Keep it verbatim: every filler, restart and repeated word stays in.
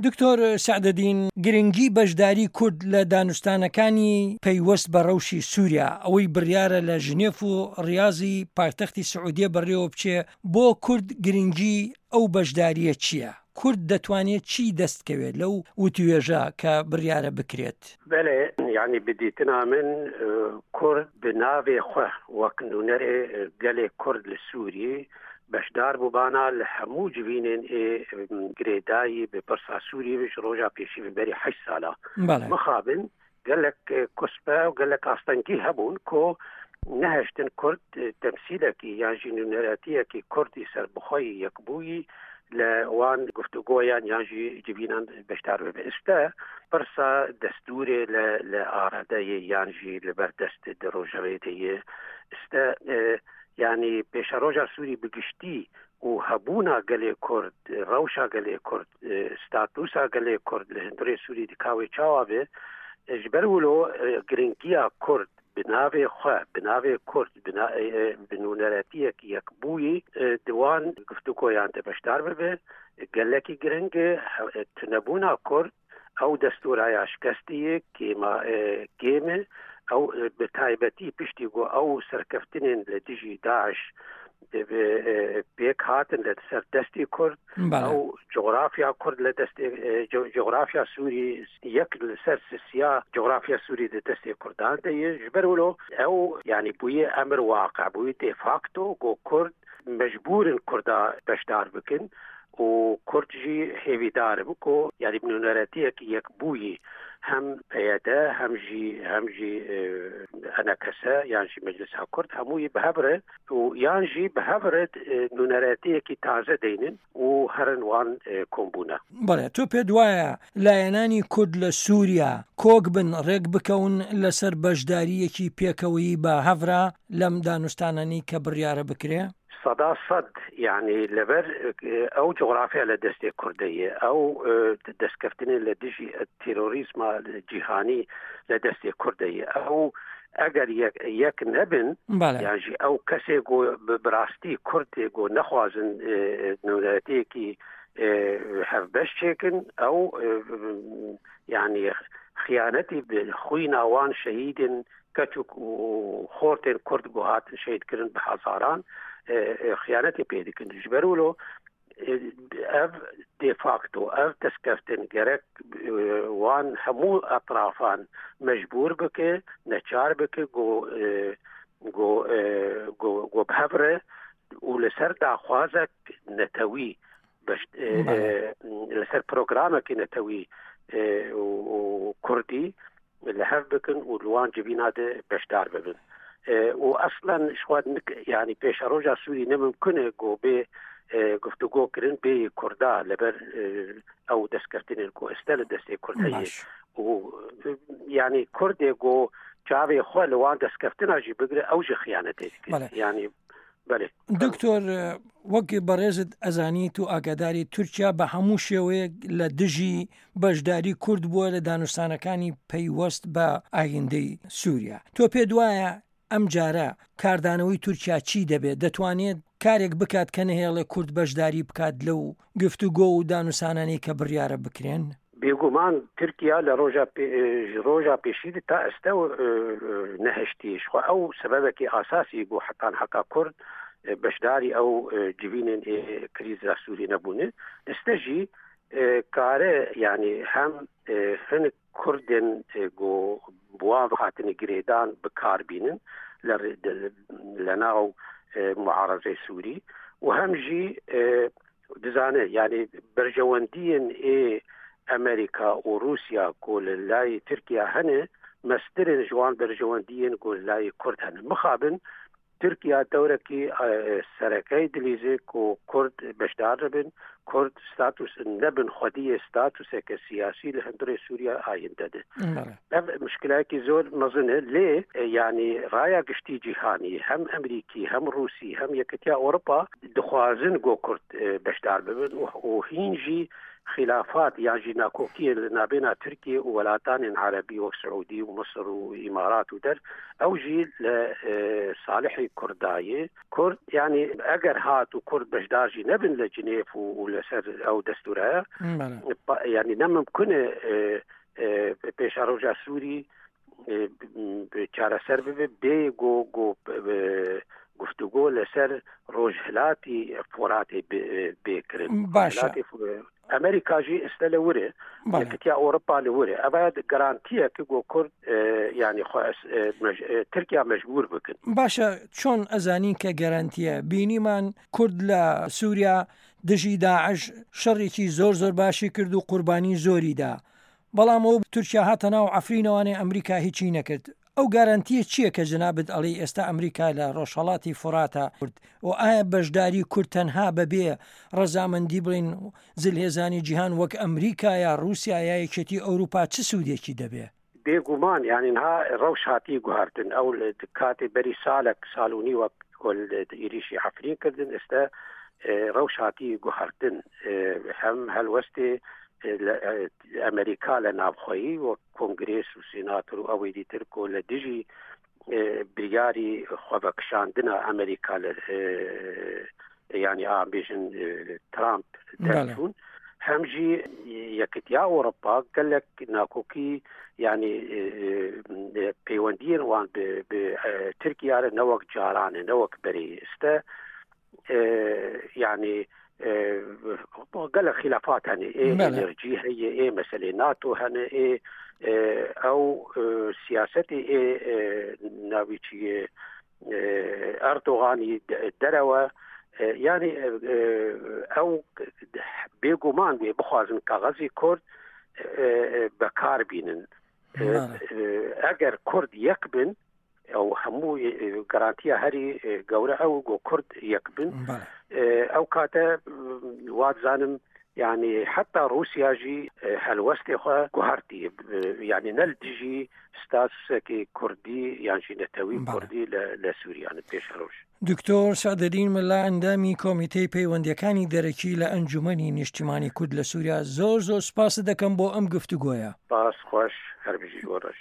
دکتۆر سەعدەدین، گرنگی بەشداری کورد لە دانوستانەکانی پەیوەست بە ڕەوشی سووریا، ئەوەی بڕیارە لە ژنێف و ڕیازی پایتەختی سعودیە بەڕێوە بچێ، بۆ کورد گرنگی ئەو بەشدارییە چییە؟ کورد دەتوانێت چی دەست کەوێت لەو وتوێژە کە بڕیارە بکرێت؟ بەلێ، یانی بە دیتنا من کورد بە ناوێ خوە وەک نوونەرێ گەلێ کورد لە سووریێ بەشدار بووبانا لە هەموو جڤینێن ئێ گرێدایی بە پرسا سووریێ ژ ڕۆژا پێشی ڤە بەری هەشت سالا. مخابن گەلەک کوسپە و گەلەک ئاستەنگی هەبوون کۆ نەهێشتن کورد تەمسیلەکی یان ژی نوێنەرەتیەکی کوردی سەربەخۆی یەکبوویی لە وان گفتوگۆیان یان ژی جڤینان بەشدار ببێ. ئێستا پرسا دەستورێ لە لە ئارادەیە یان ژی لەبەر دەست ڕۆژەوێ دەیە. ئێستا یعنی پێشەڕۆژا سووری بگشتی و هەبوونا گەلێ کورد، ڕەوشا گەلێ کورد، ستاتوسا گەلێ کورد لە هندرێ سووری دکاوێ چاوا بێ، ji ber wilo گرنگیا کورد bi navê xwe, bi navê Kurd, bi nûneretiyek yekbûyî di wan guftûgoyan de beşdar bibe gelekî giring e. Tunebûna Kurd ew destûraya şikestiyê kêma kêm e, ew bi taybetî piştî ku ew serkeftinên li dijî Daeş pêk hatin li ser destê Kurd، ew coğrafya Kurd li destê coğrafya Sûrî yek li ser sisiya coğrafya Sûrî di destê Kurdan de ye. Ji ber wilo ew yanî bûye emir waqe, bûye de facto ku Kurd mecbûrin Kurda beşdar bikin û Kurd jî hêvîdar in ku yanî bi nûneretiyek yekbûyî hem P Y D hem jî hem jî E N K S yan jî Meclisa Kurd hemûyî bi hev re û yan jî bi hev re nûneretiyekî taze deynin û herin wan kombûne. بەڵێ، تۆ پێت وایە لایەنانی کورد لە سووریا کۆک بن، ڕێک بکەون لەسەر بەشدارییەکی پێکەوەیی بە هەڤرا لەم دانوستانانەی کە بڕیارە بکرێ؟ سەدا سەد، یعنی لەبەر ئەو جوغرافیا لە دەستێ کوردەیە، ئەو دەستکەفتنێ لە دژی تیرۆریزما جیهانی لە دەستێ کوردەیە، ئەو ئەگەر یەک نەبن یانژی ئەو کەسێک گۆ بڕاستی کوردێک گۆ نەخوازن نوێنەرەتیەکی هەڤبەش چێکن، ئەو یعنی خیانەتی خوینا وان شەهیدن کەچ و خۆرتێن کورد گۆ هاتن شەهیدکردن بە هەزاران خیانەتی پێ دکن. ji ber wilo ev de facto ev destkeftên gerek wan hemû etrafan mecbûr bike, neçar bike go go go go bi hev re û li ser daxwazek netewî, li ser programekî netewî û Kurdî li hev bikin û li wan civîna de beşdar bibin. û ئەسڵەن شواد یعنی پێشەڕۆژا سووری ne mümkün e ku bê guftûgo kirin bê Kurda لەبەر ئەو دەستکەفتنên ku ئێستا لە دەستێ Kurd heye û یعنی Kurdê ku çavê xwe li wan destkeftина jî bigire ew jî xiyanetê dike. یعنی بەلێ. دکتۆر، وەک بەڕێزت ئەزانیت و ئاگاداری، تورکیا بە هەموو شێوەیەک لە دژی بەشداری کورد بووە لە دانوستانەکانی پەیوەست بە ئایندەی سووریا. تۆ پێت وایە ئەم جارە کاردانەوەی تورکیا چی دەبێت؟ دەتوانێت کارێک بکات کە نەهێڵێ کورد بەشداری بکات لەو گفتوگۆ و دانوسانانەی کە بڕیارە بکرێن؟ بێگومان تورکیا لە ڕۆژا ڕۆژا پێشی تا ئێستا نەهشتی شخوا ئەو سەبەبێکی ئاساسی بۆ حتان حکا کورد بەشداری ئەو جڤینên کریزا سووری نەبوونە. ئێستا ژی کارە یعنی هەم هەنک کوردên گۆ بوان هاتنی گرێدان بکاربینن لە ناو معارەزەی سووری و هەم ژی دزانێ یعنی بەرژەوەندیên ê ئەمریکا و رووسیا کو لە لای تورکیا هەنێ مەسترن ji wan berjewendiyên ku li لای Kurd hene. Mixabin Tirkiya dewrekî serekey dilîze ku Kurd beşdar bin, Kurd status nebin xwediyê statuseke siyasî li hundirê Sûriya ayinde de. Ev muşkilekî zor mezin e, lê yanî raya giştî cîhanî hem Amerîkî hem Rûsî hem Yekîtiya Ewropa dixwazin ku Kurd beşdar bibin û hîn jî خلافات یان ژی ناکۆکیە لە نابێنا تورکیە و وەلاتانێن عەرەبی وەک سعودی و مسر و ئیمارات و دەر ئەو ژی لە ساڵحی کوردایە کورد یعنی ئەگەر هات و کورد بەشدارژی نەبن لە جنێف و لەسەر ئەو دەستورایە یعنی نەممکنە پێشەڕۆژا سووری چارەسەر ببێ بێ گۆ گۆ گفتوگۆ لەسەر ڕۆژهلاتی فۆراتی بێکردن باشە ئەمریکاژی ئێستا لە ورێ یەکەتیا ئەوروپا لە ورێ ئەوە گەرانتیە کە گۆ کورد یعنی تورکیا مەجبور بکەن. باشە چۆن ئەزانین کە گەرانتیە؟ بینیمان کورد لە سوریا دژی داعش شەڕێکی زۆر زۆر باشی کرد و قوربانی زۆری دا، بەڵام ئەو تورکیا هاتە ناو عەفرینەوانێ ئەمریکا هیچی نەکرد. ئەو گارانتیە چییە کە جەنابت ئەڵێی ئێستا ئەمریکا لە ڕۆژهەڵاتی فوراتە کورد و ئایا بەشداری کورد تەنها بەبێ ڕەزامەندی بڵێن زلهێزانی جیهان وەک ئەمریکا یا ڕووسیا یا یەکێتی ئەوروپا چ سوودێکی دەبێ؟ بێگومان یعنی نها ڕەوش هاتی گوهارتن ئەو کاتی بەری ساڵک ساڵ و نیوە ئیریشی عەفرین کردن ئێستا ڕەوش هاتی گوهارتن هەم هەلوەستێ ئەمریکا لە ناوخۆیی وەک کۆنگرێس و سیناتۆر و ئەوەی دیتر کۆ لە دژی بریاری خۆبەکشاندنە ئەمریکا لە ینی ئابێژن ترامپ دەرچوون هەمژی یەکتیا ئەوروپا گەلک ناکۆکی ینی پەیوەندیên وان بە تورکیارە نەوەک جارانە نەوەک بەری ئێستا یعنی گەلە خلافات هەنێ ئێ ئەنرژی هەیە ئێ مەسلەی ناتۆ هەنێ ئێ ئەو سیاسەتی ئێ ناوی چیە ئەردۆغانی دەرەوە یعنی ئەو بێگومان بێ بخوازن کاغەزی کورد بەکار بینن ئەگەر کورد یەک بن ئەو هەموو گەرانتیە هەری گەورە ئەو گۆ کورد یەک بن ئەو کاتە وادزانم یعنی حتا رووسیاژی هەلوەستی خۆ گوهارتی یعنی نەل دژی ستاسێکی کوردی یانژی نەتەوی کوردی لە سووریانە پێش ڕۆژ. دکتۆر سەعدەدین مەلا ئەندامی کۆمیتەی پەیوەندیەکانی دەرەکی لە ئەنجومەنی نیشتیمانی کورد لە سووریا زۆر زۆر سپاست دەکەم بۆ ئەم گفتوگۆیە. سپاس خۆش هەر بژی بۆ ڕۆژی.